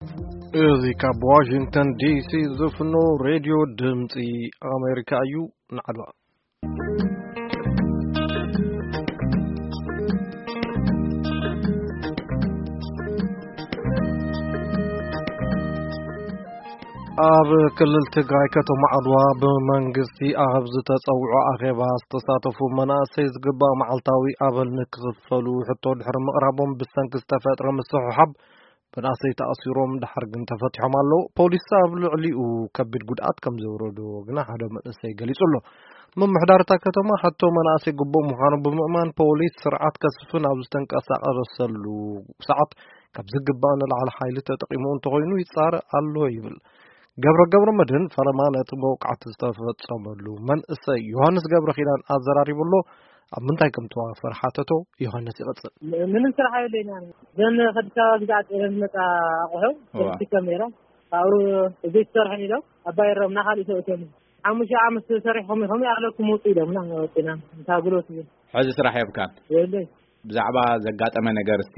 እዚ ካብ ዋሽንግተን ዲሲ ዝፍኖ ሬድዮ ድምፂ ኣሜሪካ እዩ። ንዓድዋ። ኣብ ክልል ትግራይ ከተማ ዓድዋ ብመንግስቲ ኣብ ዝተጸውዖ ኣኼባ ዝተሳተፉ መናእሰይ ዝግባእ መዓልታዊ ኣበል ንክኽፈሉ ሕቶ ድሕሪ ምቕራቦም ብሰንኪ ዝተፈጥረ ምስሕሓብ መናእሰይ ተኣሲሮም ድሓር ግን ተፈቲሖም ኣለዉ። ፖሊስ ኣብ ልዕሊኡ ከቢድ ጉድኣት ከም ዘውረዶ ግና ሓደ መንእሰይ ገሊጹ ኣሎ። ምምሕዳር እታ ከተማ ሕቶ መናእሰይ ግቡእ ምዃኑ ብምእማን ፖሊስ ስርዓት ከስፍን ኣብ ዝተንቀሳቐሰሉ ሰዓት ካብ ዝግባእ ንላዕሊ ሓይሊ ተጠቒሙ እንተኾይኑ ይጻረእ ኣሎ ይብል። ገብረ ገብረ መድህን ፈለማ ነቲ መውቃዕቲ ዝተፈጸመሉ መንእሰይ ዮሃንስ ገብረ ኪዳን ኣዘራሪቡ ኣሎ። ኣብ ምንታይ ከም ተዋፈር ሓተቶ። ዮሃንስ ይቐጽል። ምንም ስራሕ የብለይና። ዘን ከዲስ ኣበባ ግዛዕ ጤነ ዝመጻ ኣቑሑ እዋ። ከዲስ ከም ነይራ ካብኡ ዘይትሰርሕን ኢሎም ኣባይሮም ናኻሊእ ሰብእቶም ሓሙሽተ ዓመት ሰሪሕኹም ኢኹም ኣለኩም ውጡ ኢሎምና ወፂና። እንታ ጉልበት እዩ። ሕዚ ስራሕ የብካን? የብለይ። ብዛዕባ ዘጋጠመ ነገር እስቲ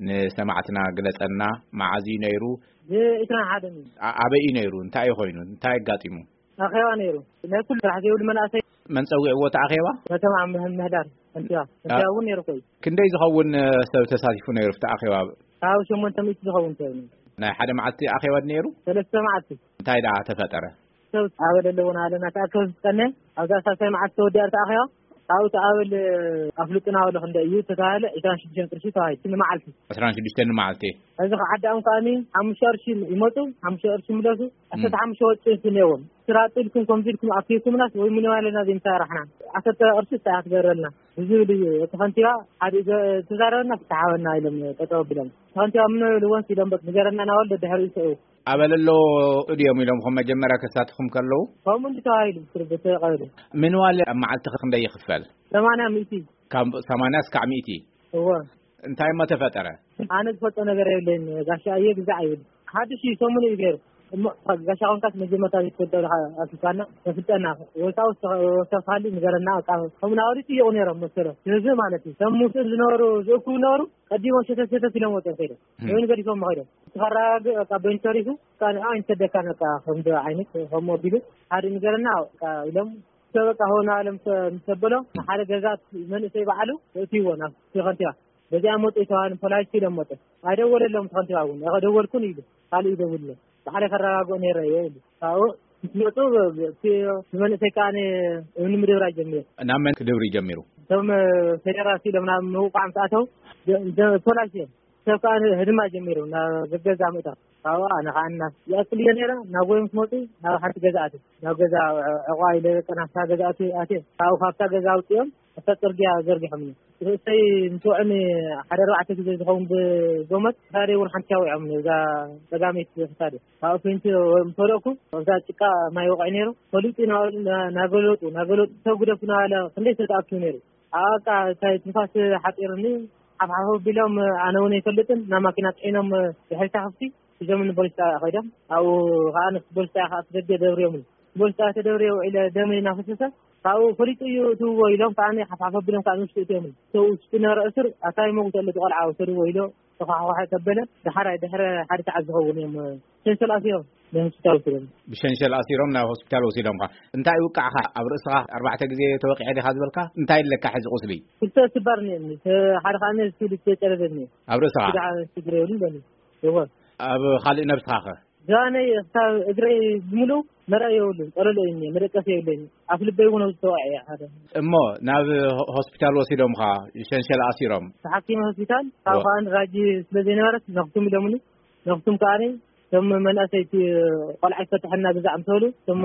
ንሰማዕትና ግለጸልና። መዓዝ እዩ ነይሩ? ብዒስራን ሓደን እዩ። ኣ- ኣበይ እዩ ነይሩ? እንታይ እዩ ኮይኑ? እንታይ ኣጋጢሙ? ኣኼባ ነይሩ። ናይ ኩሉ ስራሕ ዘይብሉ መናእሰይ። መን ጸዊዕዎ እቲ ኣኼባ? ከተማ ምህ- ምህዳር ከንቲባ። ከንቲባ እውን ነይሩ ኮይ። ክንደይ ዝኸውን ሰብ ተሳቲፉ ነይሩ ኣብቲ ኣኼባ? ካብ ሸሞንተ ሚእቲ ዝኸውን ሰብ ነይሩ። ናይ ሓደ መዓልቲ ኣኼባ ነይሩ? ሰለስተ መዓልቲ። እንታይ ደኣ ተፈጠረ? ሰብ ኣበል ኣለዎ ናበለና ተኣከብ ዝጸነ ኣብዛ ሳልሳይ መዓልቲ ተወዲኣ ተኣኺባ። ኣብኡ እቲ ኣበል ኣፍልጡና በሎ ክንደ እዩ ተተባሃለ ዕስራን ሽዱሽተን ቅርሺ ተባሂሉ ንመዓልቲ። ዕስራን ሽዱሽተን ንመዓልቲ። እዚ ከዓ ዓዳኦም ከኣኒ ሓሙሽተ ቅርሺ ይመፁ ሓሙሽተ ቅርሺ ይምለሱ። ኣሰተ ሓሙሽተ ወጪ እንትን እኒአዎም ስራጡ ኢልኩም ከምዚ ኢልኩም ኣኪብኩምናስ ወይ ምንባለና ዘይምሳራሕና ዓሰርተ ቅርሺ እንታይ ክትገብረልና ብዝብል እዩ እቲ ከንቲባ ሓደ ተዛረበና ፍትሓወና ኢሎም ጠጠው ኣቢሎም እቲ ከንቲባ ምኖ ኢልዎም ኢሎም በቃ ንገረና ናበሉ ደድሕሪኡ ይስዕቡ ኣበለሎ እድዮም ኢሎም ከም መጀመርያ ከሳትኹም ከለዉ ከምኡ እንዲ ተባሂሉ ብትርጉ ተቐበሉ ምንዋል ኣብ መዓልቲ ክንደይ ይኽፈል ሰማንያ ሚእቲ ካብ ሰማንያ እስካዕ ሚእቲ እወ እንታይ እሞ ተፈጠረ ኣነ ዝፈልጦ ነገር የብለይን ጋሻ እየ ግዛዕ ይብል ሓድሽ እዩ ሰሙን እዩ ገይሩ እሞ ጋሻ ኮንካስ መጀመርታ ዘይትፈልጦ ኢኻ ኣኪብካና ተፍልጠና ወሳውስ ተኻሊ ንገረና በቃ ከምኡ ናወዲ ጥይቑ ነይሮም መሰሎም ህዝቢ ማለት እዩ ሰብ ሙስእ ዝነበሩ ዝእክቡ ነበሩ ቀዲሞም ሸተት ሸተት ኢሎም ወፅኦም ከይዶም ወይን ገዲፎም ከይዶም ተኸራጋግ በቃ በይኑ ተሪፉ ንዓ ኣይንሰደካን በቃ ከምዚ ዓይነት ከምኡ ኣቢሉ ሓደ ንገረና በቃ ኢሎም ሰብ በቃ ሆና ኢሎም ምስ ተበሎ ንሓደ ገዛ መንእሰይ በዓሉ የእትይዎ ናብ ከንቲባ በዚኣ መጡ ይተባሃሉ ፖላይስ ኢሎም መጡ ኣይደወለሎም ከንቲባ እውን ደወልኩን ኢሉ ካልእ ይደውልሎም ባዕለይ ከረጋግኦ ነይረ እየ ኢሉ ካብኡ ምስ መጡ እቲ ንመንእሰይ ከዓ እምኒ ምድብራይ ጀሚሩ ናብ መን ክድብሪ ጀሚሩ እቶም ፌደራል ኢሎም ናብ ምውቃዕ ምስ ኣተው ፖላይስ እዮም ሰብ ከዓ ህድማ ጀሚሩ ናብ ገገዛ ምእታው ካብኡ ኣነ ከዓ እና ይኣክል እየ ነይረ ናብ ጎይ ምስ መፁ ናብ ሓንቲ ገዛ ኣትየ ናብ ገዛ ዕቋ ኢለ በቃ ናብታ ገዛ ኣትየ ኣትየ ካብኡ ካብታ ገዛ ኣውፅኦም ኣብታ ፅርግያ ዘርጊሖምኒ ርእሰይ ምስ ወዕኒ ሓደ ኣርባዕተ ግዜ ዝኸውን ብጎመት ክሳደይ እውን ሓንቲ ኣውዒዖምኒ እዛ ፀጋመይቲ ክሳደ ካብኡ ፌንቲ ምስ ወደቕኩ ኣብዛ ጭቃ ማይ ወቕዒ ነይሩ ፈሊጡ ናበሉ ናገለጡ ናገለጡ ሰብ ግደፉ ናበለ ክንደይ ሰብ ተኣኪቡ ነይሩ ኣብቃ እንታይ ትንፋስ ሓፂርኒ ሓፍሓፍ ኣቢሎም ኣነ እውን ኣይፈልጥን ናብ ማኪና ፅዒኖም ድሕሪታ ክፍቲ ሒዞም ንፖሊስ ጣብያ ከይዶም ኣብኡ ከዓ ንፖሊስ ጣብያ ከዓ ደገ ደብርዮምኒ ፖሊስ ጣብያ ተደብርየ ውዒለ ደመይ እናፈሰሰ ካብኡ ፈሊጡ እዩ እትውዎ ኢሎም ከዓ ሓፍሓፍ ኣቢሎም ከዓ ንውሽጢ እትዮምኒ ሰው ውሽጢ ነበረ እስር ኣታይ መጉት ኣሎ ቆልዓ ውሰድዎ ኢሎ ተኳሕኳሐ ተበለ ደሓራይ ድሕረ ሓደ ሰዓት ዝኸውን እዮም ሸንሸል ኣሲሮም ንሆስፒታል ወሲዶም ብሸንሸል ኣሲሮም ናብ ሆስፒታል ወሲዶምካ እንታይ ውቃዕኻ ኣብ ርእስኻ ኣርባዕተ ግዜ ተወቂዐ ዲኻ ዝበልካ እንታይ ኣለካ ሕዚ ቁስሊ ክልተ ስባር እኒአኒ ሓደ ከዓ ስብሊ ዝተጨረዘኒ ኣብ ርእስኻ ጉድዓ ሽግር የብሉን በሉ ይኾን ኣብ ካልእ ነብስኻ ኸ ዛነይ ክሳብ እግረይ ብምሉ መርኣይ የብሉን ጠለሎ እዩ መደቀስ የብለኒ ኣፍ ልበይ እውን ዝተወዐ ሓደ እሞ ናብ ሆስፒታል ወሲዶምኻ ሸንሸል ኣሲሮም ተሓኪመ ሆስፒታል ካብ ከኣን ራጂ ስለ ዘይነበረት ነኽቱም ኢሎምኒ ነኽቱም ከኣኒ እቶም መናእሰይቲ ቆልዓ ይፈትሐና ግዛዕ ምስ በሉ እቶም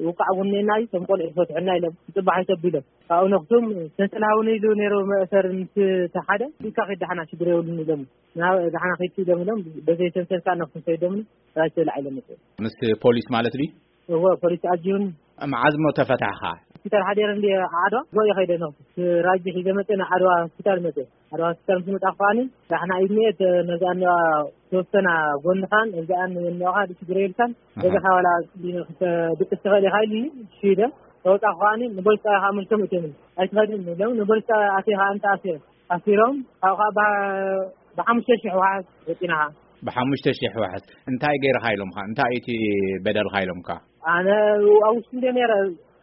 ውቃዕ እውን እኒአና እዩ እቶም ቆልዑ ይፈትሐና ኢሎም ክፅባሕ ይሰብ ኢሎም ካብኡ ነኽቱም ሰንሰል ሃውኒ ኢሉ ነይሩ መእሰር ምስ ተሓደ ኢልካ ከይድ ዳሕና ሽግር የብሉን ኢሎም ናብ ዳሕና ከይድ ኢሎም ኢሎም በዘይ ሰንሰል ከዓ ነኽቱም ከይዶምኒ ራጅ ተብላዕ ኢሎም መፅኡ ምስ ፖሊስ ማለት ድዩ እወ ፖሊስ ኣጅቡኒ መዓዝ እሞ ተፈታሕኻ ሆስፒታል ሓዲረ እንዲ ዓድዋ ጎየ ከይደ ነኽቱ ራጂ ሒዘ መፀ ንዓድዋ ሆስፒታል መፀ ዓድዋ ሆስፒታል ምስ መጣ ከዓኒ ዳሕና ኢድኒኤ ነዛ እኒዋ ተወሰና ጎንኻን እዚኣን እኒዋኻ ሽግር የብልካን ገዛኻ ዋላ ድቅስ ትኽእል ኢኻ ኢልኒ ሽደ ተወፃ ከዓኒ ንቦሊስ ጣብያ ከዓ መልሶም እትምኒ ኣይትኸድን ኢሎም ንቦሊስ ጣብያ ኣትየ ከዓ እንተ ኣሲረ ኣሲሮም ካብኡ ከዓ ብሓሙሽተ ሽሕ ውሓስ ወፂና ከዓ ብሓሙሽተ ሺሕ ዋሕስ እንታይ ገይርኻ ኢሎምኻ? እንታይ እቲ በደልካ ኢሎምካ? ኣነ ኣብ ውሽጢ እንደ ነረ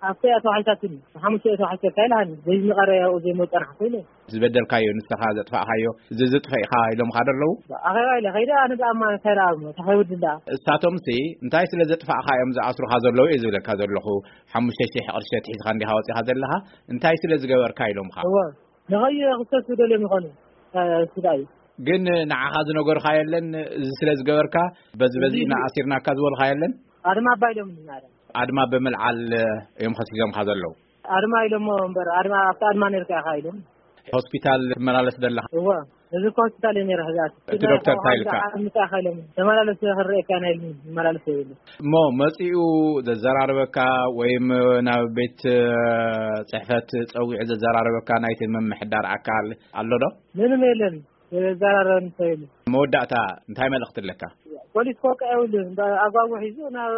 ኣብተ ኣቶ ሓይታትን ሓሙሽተ ኣቶ ሓይታትን ካይላን ዘይዝንቀረ ያው ዘይመጠርሕ ኮይነ ዝበደልካዮ ንስኻ ዘጥፋእካዮ እዚ ዝጥፈኢኻ ኢሎምኻ ደለዉ? ኣኸባ ኢለ ከይደ ኣነ ብኣማ እንታይ ደኣ ተኸይውድ እንዳ እሳቶምሲ እንታይ ስለ ዘጥፋእካ እዮም ዝኣስሩኻ ዘለዉ እየ ዝብለካ ዘለኹ። ሓሙሽተ ሺሕ ቅርሸት ሒዝካ እንዲኻ ወፂኻ ዘለኻ እንታይ ስለ ዝገበርካ ኢሎምኻ? እወ ንኸዩ ክሰሱ ደልዮም ይኾኑ ስዳ እዩ። ግን ንዓኻ ዝነገርካ የለን? እዚ ስለ ዝገበርካ በዚ በዚ ኢና ኣሲርናካ ዝበልካ የለን? ኣድማ ኣባይሎም ናረ ኣድማ ብምልዓል እዮም ከሲሶምካ ዘለዉ። ኣድማ ኢሎሞ እምበር ኣድማ ኣብቲ ኣድማ ነርካ ኢኻ ኢሎም። ሆስፒታል ትመላለስ ዘለኻ? እወ እዚ እኮ ሆስፒታል እየ ነረ ሕዛት እቲ ዶክተር እንታይ ኢልካ? ምጣ ኢኻ ኢሎም ተመላለስ ክረኤካ ናይ መላለስ የብሉ። እሞ መጺኡ ዘዘራርበካ ወይም ናብ ቤት ጽሕፈት ጸዊዑ ዘዘራርበካ ናይቲ ምምሕዳር ኣካል ኣሎ ዶ? ምንም የለን። ዘዘራረበን ሰብ የለን። መወዳእታ እንታይ መልእኽቲ ኣለካ? ፖሊስ ኮቃ የብሉ ኣጓጉ ሒዙ ናብ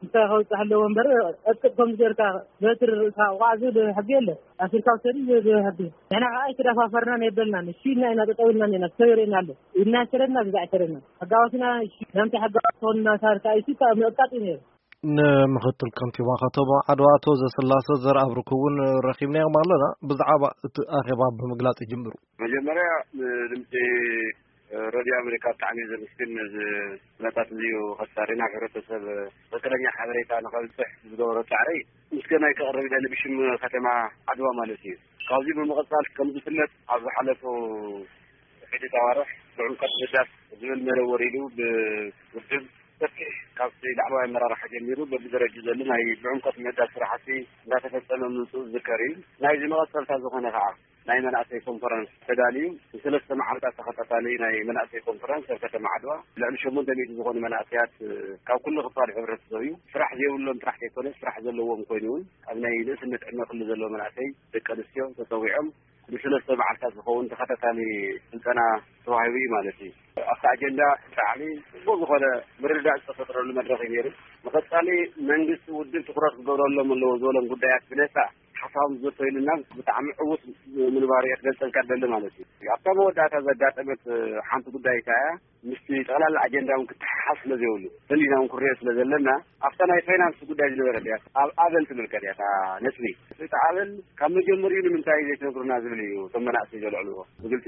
እንታይ ከውፅእ ኣለዎ እምበር ቀጥቅጥ ከም ዝገርካ በትሪ ርእስኻ ቋዕ ዝብል ሕጊ የለን። ኣሲርካ ውሰድ ዝብል ሕጊ ንሕና ከዓ ኣይተደፋፈርናን የበልናን እሺ ኢልና ኢና ጠጠው ኢልና እኒና ሰበሬና ኣሎ ኢልና ኣይሰደድና ግዛ ኣይሰደድና ሕጋዋትና እሺ ናምቲ ሕጋዋ ትኾንና ሳርካ እሺ ምእቃጥ እዩ ነይሩ። ንምኽትል ከንቲባ ከተማ ዓድዋ ኣቶ ዘስላሰ ዘርኣብርክ እውን ረኺብናዮም ኣለና። ብዛዕባ እቲ ኣኼባ ብምግላጽ ይጅምሩ። መጀመርያ ንድምፂ ረድዮ ኣሜሪካ ብጣዕሚ እየ ዘመስግን። ነዚ ኩነታት እዚ ከሳሪ ናብ ሕብረተሰብ ትኽክለኛ ሓበሬታ ንኸብፅሕ ዝገበሮ ፃዕሪ ምስጋናይ ከቕርብ ይደሊ ብሽም ከተማ ዓድዋ ማለት እዩ። ካብዚ ብምቕፃል ከም ዝፍለጥ ኣብ ዝሓለፉ ሕጂ ኣዋርሕ ብዕምቀት ምህዳስ ዝብል መደብ ወሪዱ ብውድብ ሰፊሕ ካብቲ ላዕለዋይ ኣመራርሓ ጀሚሩ በብደረጅኡ ዘሎ ናይ ብዕምቀት ምህዳስ ስራሕቲ እንዳተፈፀመ ምምፅኡ ዝዝከር እዩ። ናይዚ መቐፀልታ ዝኾነ ከዓ ናይ መናእሰይ ኮንፈረንስ ተዳልዩ ንሰለስተ መዓልታት ተኸታታሊ ናይ መናእሰይ ኮንፈረንስ ኣብ ከተማ ዓድዋ ልዕሊ ሸሞንተ ሚእቲ ዝኾኑ መናእሰያት ካብ ኩሉ ክፋል ሕብረተሰብ እዩ። ስራሕ ዘይብሎም ጥራሕ ዘይኮነ ስራሕ ዘለዎም ኮይኑ እውን ኣብ ናይ ንእስነት ዕድመ ክሊ ዘለዎ መናእሰይ ደቂ ኣንስትዮ ተፀዊዖም ንሰለስተ መዓልታት ዝኸውን ተኸታታሊ ስልጠና ተዋሂቡ እዩ ማለት እዩ። ኣብቲ ኣጀንዳ ብጣዕሚ ፅቡቅ ዝኾነ ምርድዳእ ዝተፈጥረሉ መድረኽ እዩ ነይሩ። ንቐፃሊ መንግስቲ ውድብ ትኹረት ክገብረሎም ኣለዎ ዝበሎም ጉዳያት ብነፃ ሓሳቦም ዘተይሉና ብጣዕሚ ዕዉት ምንባሩ እየ ክገልፀልካ ደሊ ማለት እዩ። ኣብታ መወዳእታ ዘጋጠመት ሓንቲ ጉዳይ እታ እያ። ምስቲ ጠቕላላ ኣጀንዳ እውን ክተሓሓዝ ስለ ዘይብሉ ፈሊና እውን ክንሪኦ ስለ ዘለና ኣብታ ናይ ፋይናንስ ጉዳይ ዝነበረት እያ። ኣብ ኣበል ትምልከት እያ እታ ነጥቢ። እቲ ኣበል ካብ መጀመሪኡ ንምንታይ ዘይትነግሩና ዝብል እዩ እቶም መናእሰይ ዘልዕልዎ። ብግልፂ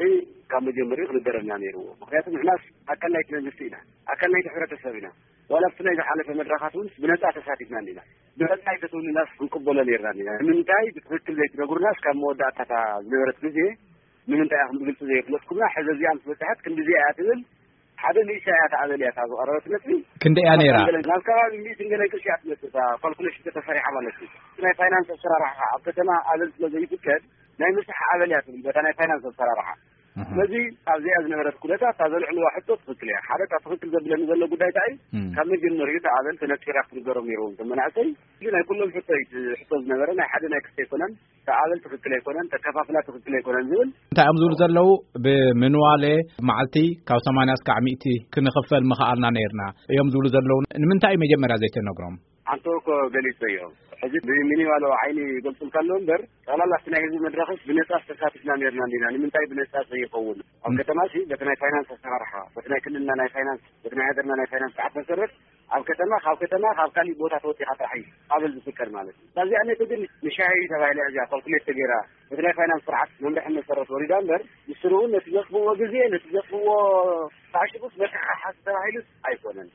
ካብ መጀመሪኡ ክንገረና ነይርዎ። ምክንያቱ ንሕናስ ኣካል ናይቲ መንግስቲ ኢና፣ ኣካል ናይቲ ሕብረተሰብ ኢና። ዋላ ኣብቲ ናይ ዝሓለፈ መድረኻት እውን ብነፃ ተሳቲፍና እንዲና። ብነፃ ኣይተትውንናስ ክንቅበሎ ነይርና እንዲና። ንምንታይ ብትክክል ዘይትነግሩናስ ካብ መወዳእታ እታ ዝነበረት ግዜ ንምንታይ ኢኹም ብግልፂ ዘይፍለጥኩምና? ሕዚ እዚኣ ምስ በፅሐት ክንድዚኣ እያ ትብል ሓደ ንእሽታ እያ እታ ኣበል እያ እታ ዝቐረበት ነጥቢ። ክንደይ እያ ነይራ? ናብ ከባቢ ሚእትን ገለን ቅርሺ እያ ትመፅእ እታ ካልኩሌሽን ተተሰሪሓ ማለት እዩ። ናይ ፋይናንስ ኣሰራርሓ ኣብ ከተማ ኣበል ስለ ዘይፍቀድ ናይ ምስራሕ ኣበል እያ ትብል በታ ናይ ፋይናንስ ኣሰራርሓ። ስለዚ ኣብዚኣ ዝነበረት ኩነታት እታ ዘልዕልዋ ሕቶ ትኽክል እያ። ሓደ እታ ትኽክል ዘብለኒ ዘሎ ጉዳይ እንታይ እዩ? ካብ መጀመሪኡ እታ ኣበል ተነፂራ ክትንገሮም ነይርዎም እቶም መናእሰይ። እዚ ናይ ኩሎም ሕቶ እዩ እቲ ሕቶ ዝነበረ ናይ ሓደ ናይ ክልተ ኣይኮነን። እታ ኣበል ትኽክል ኣይኮነን፣ ተከፋፍላ ትኽክል ኣይኮነን ዝብል እንታይ እዮም ዝብሉ ዘለዉ? ብምንዋሌ መዓልቲ ካብ ሰማንያ እስካዕ ሚእቲ ክንኽፈል ምኽኣልና ነይርና እዮም ዝብሉ ዘለዉ። ንምንታይ እዩ መጀመርያ ዘይተነግሮም? ኣንተ እኮ ገሊጸዮ። ሕዚ ብሚኒማሎ ዓይኒ ይገልጹልካ ኣለዉ እምበር ጠቕላላ እቲ ናይ ህዝቢ መድረኽስ ብነጻ ዝተሳቲፍና ነርና እንዲና። ንምንታይ ብነጻ ዘይኸውን? ኣብ ከተማ ሲ በቲ ናይ ፋይናንስ ኣሰራርሓ፣ በቲ ናይ ክልልና ናይ ፋይናንስ፣ በቲ ናይ ሃገርና ናይ ፋይናንስ ስርዓት መሰረት ኣብ ከተማ ካብ ከተማ ካብ ካሊእ ቦታ ተወጺኻ ጥራሕ እዩ ኣበል ዝፍቀድ ማለት እዩ። እዛ እዚኣ ነቲ ግን ንሻሂ ተባሂላ እዚኣ ካልኩሌት ተገይራ በቲ ናይ ፋይናንስ ስርዓት መምርሒ መሰረት ወሪዳ እምበር ንስሩ እውን ነቲ ዘጥፍዎ ግዜ ነቲ ዘጥፍዎ ታሽጉስ መተሓሓዝ ተባሂሉስ ኣይኮነን።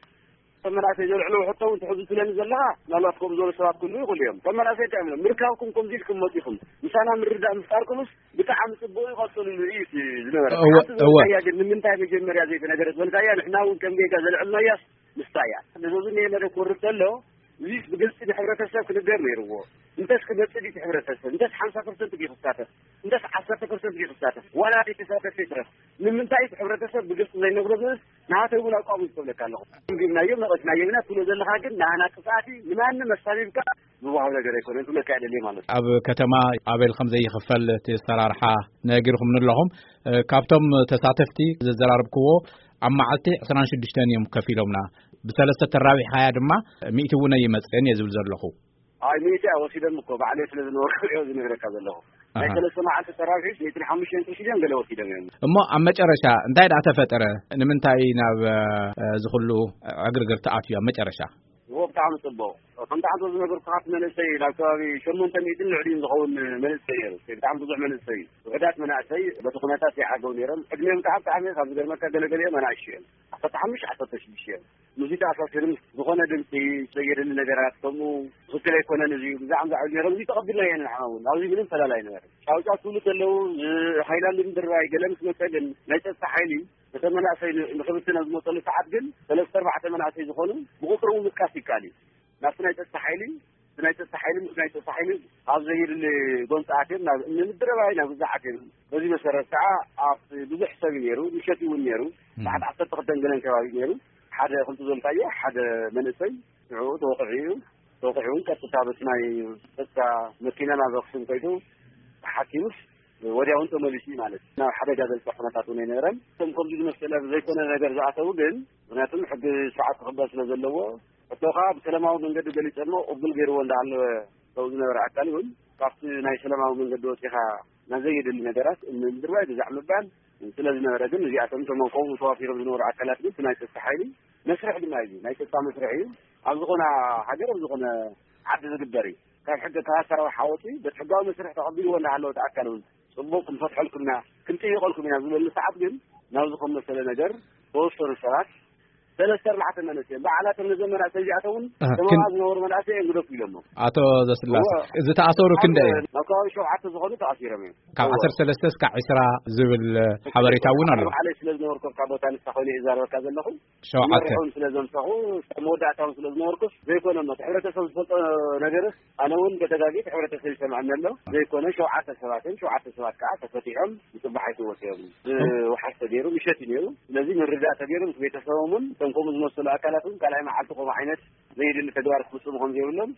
እቶም መናእሰይ ዘልዕልዎ ሕቶ እውን ትሕዙ ትብለኒ ዘለኻ ምናልባት ከምኡ ዝበሉ ሰባት ክህልዉ ይኽእሉ እዮም። እቶም መናእሰይ እንታይ እዮም ኢሎም ምርካብኩም ከምዚ ኢልኩም መፂኹም ምሳና ምርድዳእ ምፍጣርኩምስ ብጣዕሚ ፅቡቕ እዩ ቀፅሉሉ እዩ እቲ ዝነበረ። እወ፣ ሓንቲ እወ። ዝበልካያ ግን ንምንታይ መጀመርያ ዘይተነገረት በልካያ ንሕና እውን ከም ጌጋ ዘልዕልናያስ ንሳ እያ። ነዞዚ እኒሀ መደብ ክወርድ ከሎ እዚስ ብግልፂ ንሕብረተሰብ ክንገር ነይርዎ። እንተስ ክመፅእ ድዩ እቲ ሕብረተሰብ እንተስ ሓምሳ ፐርሰንት ድዩ ክሳተፍ እንተስ ዓሰርተ ፐርሰንት ድዩ ክሳተፍ ዋላ ዘይተሳተፈ ይትረፍ ንምንታይ እቲ ሕብረተሰብ ብግልፂ ዘይነግሮ ዝብልስ ንሃተይ እውን ኣቋሙ ዝከብለካ ኣለኹ። ገምጊምናዮም ነቐፍናዮም ኢና ትብሎ ዘለኻ ግን ንሃና ጥፍኣት እዩ ንማንም ኣሳቢብካ ዝወሃብ ነገር ኣይኮነን ክብለካ እየ ደልየ ማለት እዩ። ኣብ ከተማ ኣበል ከም ዘይኽፈል እቲ ኣሰራርሓ ነጊርኹምኒ ኣለኹም። እ፣ ካብቶም ተሳተፍቲ ዘዘራረብክዎ ኣብ መዓልቲ ዕስራን ሽዱሽተን እዮም ከፊሎምና። ብሰለስተ ተራቢሕካያ ድማ ሚእቲ እውን ኣይመጽእን እየ ዝብል ዘለኹ። ኣይ ሚእቲ እያ ወሲዶም እኮ ባዕለይ ስለ ዝነበርኩ እዮ ዝነግረካ ዘለኹ። ናይ ኣሃ። ሰለስተ መዓልቲ ተራዊሕ ሚእትን ሓሙሽተን ቅርሺ ድዮም ገለ ወሲዶም እዮም። እሞ ኣብ መጨረሻ እንታይ ደኣ ተፈጠረ? ንምንታይ ናብ፣ እ፣ እዚ ኩሉ ዕግርግር ተኣትዩ ኣብ መጨረሻ? እዎ፣ ብጣዕሚ ጽቡቕ። ከምቲ ሓንቶ ዝነገርኩኻ፣ እቲ መንእሰይ ናብ ከባቢ ሸሞንተ ሚእትን ልዕሊኡን ዝኸውን መንእሰይ ነይሩ። ብጣዕሚ ብዙሕ መንእሰይ፣ ውሑዳት መናእሰይ በቲ ኩነታት ይዓገቡ ነይሮም። ዕድሜኦም ከዓ ብጣዕሚ ካብ ዝገርመካ፣ ገለገሊኦም ኣናእሽቱ እዮም። ዓሰርተ ሓሙሽተ፣ ዓሰርተ ሽዱሽተ እዮም። ሙዚቃ ኣሳሲሮም፣ ዝኾነ ድምፂ ዘየድሊ ነገራት፣ ከምኡ ትኽክል ኣይኮነን፣ እዚ ብዛዕባ ዛዕባ ነይሮም፣ እዚ ተቐቢልናዮ ንሕና እውን። ኣብዚ ምንም ፈላላይ ነበረ። ጫውጫው ክብሉ ከለዉ፣ ሃይላንድ ምድርባይ ገለ ምስ መጸ ግን፣ ናይ ጸጥታ ሓይሊ ነተ መናእሰይ ን-፣ ንኽብትን ኣብ ዝመጸሉ ሰዓት ግን፣ ሰለስተ ኣርባዕተ መናእሰይ ዝኾኑ ብቁጽሪ እውን ምጥቃስ ይከኣል እዩ። ናብቲ ናይ ጸጥታ ሓይሊ፣ እቲ ናይ ጸጥታ ሓይሊ ምስ ናይ ጸጥታ ሓይሊ ኣብ ዘየድሊ ጎንፂ ኣትዮም፣ ናብ እምኒ ምድርባይ፣ ናብ ግዛዕ ኣትዮም። በዚ መሰረት ከዓ ኣብ ብዙሕ ሰብ እዩ ነይሩ፣ ምሸት እውን ነይሩ። እም። ሰዓት ዓሰርተ ክልተን ገለን ከባቢ ነይሩ። ሓደ ከምቲ ዘልካዮ፣ ሓደ መንእሰይ ንዕኡ ተወቂዑ እዩ። ተወቂዑ እውን ቀጥታ በቲ ናይ ጸጥታ መኪና ናብ ኣክሱም ከይዱ ተሓኪሙስ ወዲያውን ተመሊሱ እዩ ማለት እዩ። ናብ ሓደጋ ዘብፅሕ ኩነታት እውን ኣይነበረን። እቶም ከምዚ ዝመሰለ ዘይኮነ ነገር ዝኣተዉ ግን፣ ምክንያቱም ሕጊ ስርዓት ክኽበር ስለ ዘለዎ፣ ሕቶ ከዓ ብሰላማዊ መንገዲ ገሊፀሞ ቅቡል ገይርዎ እንዳሃለወ፣ ሰው ዝነበረ ኣካል እውን ካብቲ ናይ ሰላማዊ መንገዲ ወፂኻ ናብ ዘየድሊ ነገራት እምኒ ምድርባይ፣ ግዛዕ ምባል ስለ ዝነበረ ግን፣ እዚኣቶም እቶም ከምኡ ተዋፊሮም ዝነበሩ ኣካላት ግን፣ እቲ ናይ ጸጥታ ሓይሊ መስርሕ ድማ እዩ። ናይ ጸጥታ መስርሕ እዩ። ኣብ ዝኾነ ሃገር፣ ኣብ ዝኾነ ዓዲ ዝግበር እዩ። ካብ ሕገ፣ ካብ ኣሰራርሓ ወፂኡ በቲ ሕጋዊ መስርሕ ተቐቢልዎ እንዳሃለወ፣ እቲ ኣካል እውን ጽቡቕ ክንፈትሐልኩም ኢና፣ ክንጥይቐልኩም ኢና ዝበሉ ሰዓት ግን፣ ናብዚ ከም መሰለ ነገር ተወሰኑ ሰባት፣ ሰለስተ ኣርባዕተ መንእሰይ በዓላቶም፣ ነዘን መናእሰይ እዚኣቶም እውን ኣሃ፣ ሰማራ ክን- ዝነበሩ መናእሰይ እዮም ግደፉ ኢሎሞ። ኣቶ ዘስላሴ፣ እወ። ዝተኣሰሩ ኣብ ክንደይ እዮም? ኣብ ከባቢ ሸውዓተ ዝኾኑ ተኣሲሮም እዮም። ካብ እወ። ዓሰርተ ሰለስተ እስካብ ዕስራ ዝብል ሓበሬታ እውን ኣሎ። ባዕለይ ስለ ዝነበርኩ፣ ካብ ቦታ ንሳ ኮይነ እየ ዝዛረበካ ዘለኹ። ሸውዓተ። ዝመርሑን ስለ ዘምሰኹ፣ ኣብ መወዳእታውን ስለ ዝነበርኩስ ዘይኮነ እሞ፣ እቲ ሕብረተሰብ ዝፈልጦ ነገርስ፣ ኣነ እውን በተጋጊት ሕብረተሰብ ይሰምዐኒ ኣሎ። ዘይኮነ ሸውዓተ ሰባት እዮም። ሸውዓተ ሰባት ከዓ ተፈቲሖም፣ ብጽባሕ ኣይተወሰዮም። ብወሓስ ተገይሩ፣ ምሸት እዩ ነይሩ። ስለዚ ምርዳእ ተገይሩ፣ ምስ ቤተሰቦም እውን፣ እቶም ከምኡ ዝመሰሉ ኣካላት እውን፣ ካልኣይ መዓልቲ ከምኡ ዓይነት ዘየድሊ ተግባር ክፍጽሙ ከም ዘይብሎም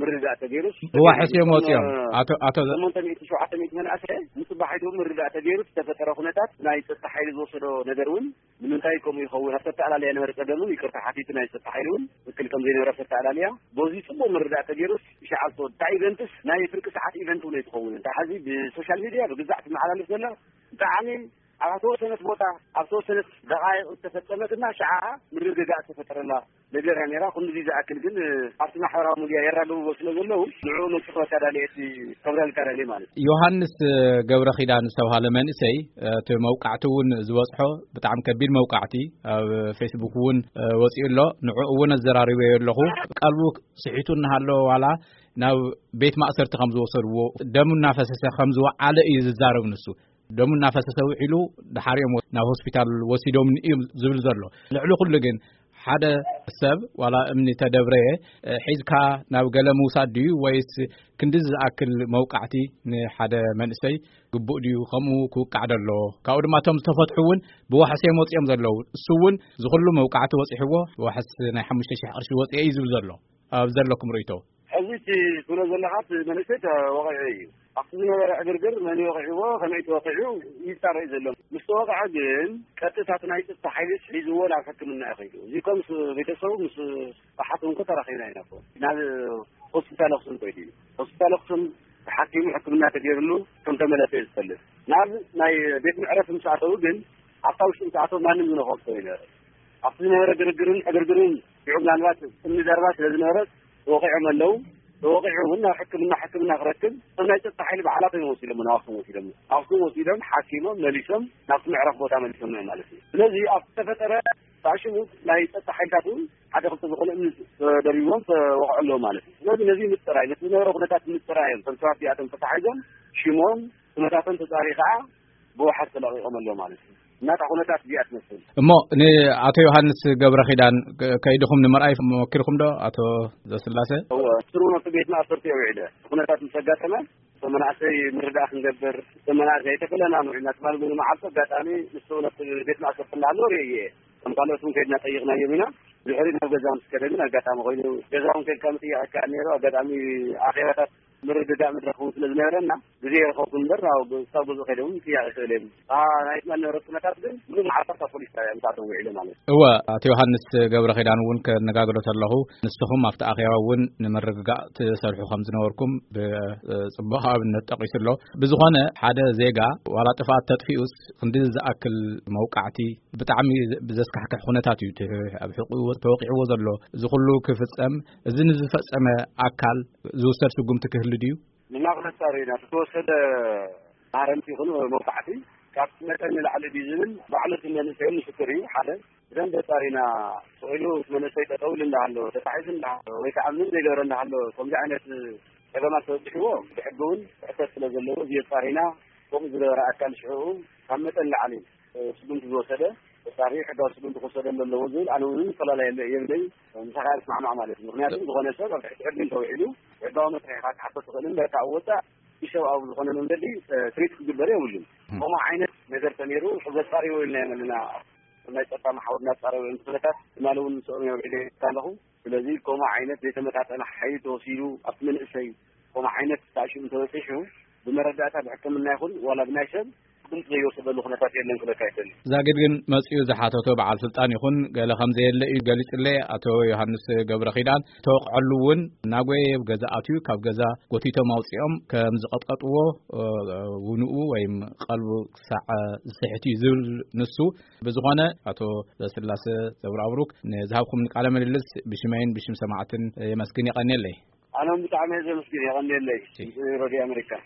ምርዳእ ተገይሩ። ብዋሕስ እዮም ወፂኦም። ኣቶ፣ ኣቶ ሸሞንተ ሚእቲ፣ ሸውዓተ ሚእቲ መናእሰይ፣ ንጽባሒቱ ምርዳእ ተገይሩ፣ ዝተፈጠረ ኩነታት፣ ናይ ጸጥታ ሓይሊ ዝወሰዶ ነገር እውን፣ ንምንታይ ከምኡ ይኸውን? ኣብ ተተኣላለያ ነበረ ጸገም እውን፣ ይቅርታ ሓቲቱ፣ ናይ ጸጥታ ሓይሊ እውን ትክክል ከም ዘይነበረ ኣብ ተተኣላለያ። በዚ ጽቡቕ ምርዳእ ተገይሩስ፣ ይሽዓል ተወ-፣ እታ ኢቨንትስ ናይ ፍርቂ ሰዓት ኢቨንት እውን ኣይትኸውን። እንታይ፣ ሕዚ ብሶሻል ሚድያ ብግዛዕ ትመሓላለፍ ዘላ፣ ብጣዕሚ ኣብ ተወሰነት ቦታ፣ ኣብ ተወሰነት ደቃይቕ ዝተፈጸመትና፣ ሽዓ ምርግጋእ ዝተፈጠረላ ነገር እያ ነይራ። ክንድዚ ዝኣክል ግን፣ ኣብቲ ማሕበራዊ ሚድያ የራግብዎ ስለ ዘለዉ፣ ንዕኡ መጽፎ ኣታዳሊ እቲ ከብረልካ ደልየ ማለት እዩ። ዮሃንስ ገብረ ኪዳን ዝተባሃለ መንእሰይ፣ እቲ መውቃዕቲ እውን ዝበጽሖ ብጣዕሚ ከቢድ መውቃዕቲ ኣብ ፌስቡክ እውን ወጺኡ ኣሎ። ንዕኡ እውን ኣዘራሪበዮ ኣለኹ። ቀልቡ ስሒቱ እናሃለወ ዋላ ናብ ቤት ማእሰርቲ ከም ዝወሰድዎ፣ ደሙ እናፈሰሰ ከም ዝወዓለ እዩ ዝዛረብ ንሱ። ደሙ እናፈሰሰ ውዒሉ፣ ድሓር እዮም ናብ ሆስፒታል ወሲዶምኒ እዩ ዝብል ዘሎ። ልዕሊ ኩሉ ግን፣ ሓደ ሰብ ዋላ እምኒ ተደብረየ፣ እ፣ ሒዝካ ናብ ገለ ምውሳድ ድዩ፣ ወይስ ክንዲ ዝኣክል መውቃዕቲ ንሓደ መንእሰይ ግቡእ ድዩ? ከምኡ ክውቃዕ ደሎ። ካብኡ ድማ እቶም ዝተፈትሑ እውን ብዋሕስ እዮም ወፂኦም ዘለዉ። እሱ እውን እዚ ኩሉ መውቃዕቲ ወፂሕዎ፣ ብዋሕስ ናይ ሓሙሽተ ሺሕ ቅርሺ ወፂአ እዩ ዝብል ዘሎ። ኣብ ዘለኩም ርእይቶ? ሕዚ እቲ ትብሎ ዘለኻ እቲ መንእሰይ ተወቒዑ እዩ። ኣብቲ ዝነበረ ዕግርግር መን ወቒዕዎ፣ ከመይ ተወቒዑ ይጻረዩ ዘለዉ። ምስ ተወቕዐ ግን ቀጥታ እቲ ናይ ጸጥታ ሓይልስ ሒዝዎ ናብ ሕክምና እዩ ከይዱ። እዚ እኮ ምስ ቤተሰቡ፣ ምስ ኣሓቱ እንኮ ተራኺብና ኢና እኮ። ናብ ሆስፒታል ኣኽሱም ከይዱ እዩ። ሆስፒታል ኣኽሱም ተሓኪሙ ሕክምና ተገይርሉ ከም ተመለሰ እዩ ዝፈልጥ። ናብ ናይ ቤት መዕረፊ ምስ ኣተዉ ግን ኣብታ ውሽጢ ምስ ኣተዉ ማንም ዝነኽኦ ሰብ የለን። ኣብቲ ዝነበረ ግርግርን ዕግርግርን ሽዑ ምናልባት እምኒ ደርባ ስለ ዝነበረት ተወቒዖም ኣለዉ። ተወቒዑ እውን ናብ ሕክምና፣ ሕክምና ክረክብ እቶም ናይ ጸጥታ ሓይሊ ባዕላቶም እዮም ወሲዶም፣ ናብ ኣኽሱም ወሲዶም። ኣኽሱም ወሲዶም ሓኪሞም መሊሶም ናብቲ መዕረፊ ቦታ መሊሶም እዮም ማለት እዩ። ስለዚ ኣብ ዝተፈጠረ ሳዕሽሙ ናይ ጸጥታ ሓይልታት እውን ሓደ ክልተ ዝኾነ እምኒ ተደሪብዎም ተወቕዑ ኣለዉ ማለት እዩ። ስለዚ ነዚ ምጽራይ፣ ነቲ ዝነበረ ኩነታት ምጽራይ እዮም። እቶም ሰባት እዚኣቶም ተታሒዞም ሽሞም፣ ኩነታቶም ተጻርዩ ከዓ ብወሓት ተለቒቖም ኣለዉ ማለት እዩ። እናታ ኩነታት እዚኣ ትመስል። እሞ ንኣቶ ዮሃንስ ገብረ ኪዳን ከ-፣ ከይድኹም ንምርኣይ መኪርኩም ዶ፣ ኣቶ ዘስላሴ? እወ፣ ስሩ ናብቲ ቤት ማእሰርቲ እየ ውዒለ። ኩነታት ምስ ኣጋጠመ፣ እቶም መናእሰይ ምርዳእ ክንገብር፣ እቶም መናእሰይ ኣይተፈለናን ውዒልና ትማል እውን መዓልቲ ኣጋጣሚ ንሱ ናብቲ ቤት ማእሰርቲ እናሃለወ ርእየ እየ። ከም ካልኦት እውን ከይድና ጠይቕናዮም ኢና። ድሕሪ ናብ ገዛ ምስ ከደ ግን ኣጋጣሚ ኮይኑ፣ ገዛ እውን ከይድካ ምጥያቕ ይከኣል ነይሩ። ኣጋጣሚ ኣኼባታት ምርድዳእ መድረኽ እውን ስለ ዝነበረና፣ ግዜ ይረኸብኩ እምበር፣ ናብ ክሳብ ገዝኡ ከይደ እውን ክያቕ ይኽእል እየ። እታ ናይ ትማል ነበረት ኩነታት ግን፣ ምሉእ መዓልቲ ኣብታ ፖሊስ ጣብያ ምስኣቶም ውዒለ ማለት እዩ። እወ፣ ኣቶ ዮሃንስ ገብረ ኪዳን እውን ከነጋግሮ ተለኹ፣ ንስኹም ኣብቲ ኣኼባ እውን ንምርግጋእ ትሰርሑ ከም ዝነበርኩም ብጽቡቕ ኣብነት ጠቒሱ ኣሎ። ብዝኾነ፣ ሓደ ዜጋ ዋላ ጥፍኣት ተጥፊኡስ፣ ክንዲ ዝኣክል መውቃዕቲ፣ ብጣዕሚ ብዘስካሕክሕ ኩነታት እዩ እቲ ኣብ ሕቑኡ ተወቂዕዎ ዘሎ። እዚ ኩሉ ክፍጸም፣ እዚ ንዝፈጸመ ኣካል ዝውሰድ ስጉምቲ ክህሉ ድዩ? ንሕና ክነጻሪ ኢና። እቲ ተወሰደ ማረምቲ ይኹን መውቃዕቲ ካብቲ መጠን ንላዕሊ ድዩ ዝብል ባዕሉ እቲ መንእሰይ ምስክር እዩ። ሓደ ብደንብ ኣጻሪና፣ ስቕ ኢሉ እቲ መንእሰይ ጠጠው ኢሉ እንዳሃሎ፣ ተታሒዙ እንዳሃሎ፣ ወይ ከዓ ምንም ዘይገበረ እንዳሃሎ፣ ከምዚ ዓይነት ጸገማት ተበጺሕዎ ብሕጊ እውን ክሕተት ስለ ዘለዎ፣ እዚ ኣጻሪና፣ ከምኡ ዝገበረ ኣካል ሽዕኡ ካብ መጠን ንላዕሊ ስጉምቲ ዝወሰደ፣ ተጻሪ ሕጋዊ ስጉምቲ ክወሰደሉ ኣለዎ ዝብል፣ ኣነ እውን ፈላላይ የለ-፣ የብለይ፣ ምሳኻ እየ ዝስማዕማዕ ማለት እዩ። ምኽንያቱ፣ ዝኾነ ሰብ ኣብ ትሕቲ ሕጊ እንተውዒሉ፣ ሕጋዊ መስርሕ ኢኻ ክትሓቶ ትኽእል እምበር፣ ካብ ወጻእ ኢሰብኣዊ ዝኾነ መንገዲ፣ እ፣ ትሪት ክግበር የብሉን። ም። ከምኡ ዓይነት ነገር ተነይሩ፣ ዘጻርዮ ኢልና ኢና ዘለና። ናይ ጸጥታ መሓውር እናጻረዩ እዮም። ኩነታት ትማሊ እውን ምስኦም እዮም ዒለ ኣለኹ። ስለዚ፣ ከምኡ ዓይነት ዘይተመጣጠነ ሓይሊ ተወሲዱ ኣብቲ መንእሰይ፣ ከምኡ ዓይነት ሳዕስዒት እንተበጺሑ፣ ብመረዳእታ ብሕክምና ይኹን ዋላ ብናይ ሰብ ስጉምቲ ዘይወሰደሉ ኩነታት የለን ክብለካ ይደሊ። ዛጊድ ግን መጺኡ ዝሓተቶ በዓል ስልጣን ይኹን ገለ ከም ዘየለ እዩ ገሊጹለይ። ኣቶ ዮሃንስ ገብረ ኪዳን፣ ተወቕዐሉ እውን እናጎየየ ኣብ ገዛ ኣትዩ፣ ካብ ገዛ ጎቲቶም ኣውጺኦም ከም ዝቐጥቀጥዎ፣ እ፣ ውንኡ ወይም ቀልቡ ክሳዕ ዝስሕት እዩ ዝብል ንሱ። ብዝኾነ፣ ኣቶ ዘስላሰ ዘብራብሩክ፣ ንዝሃብኩም ቃለ ምልልስ ብሽመይን ብሽም ሰማዕትን የመስግን፣ የቐንየለይ። ኣነ እውን ብጣዕሚ እየ ዘመስግን፣ የቐንየለይ። እሺ። ሬድዮ ኣሜሪካ።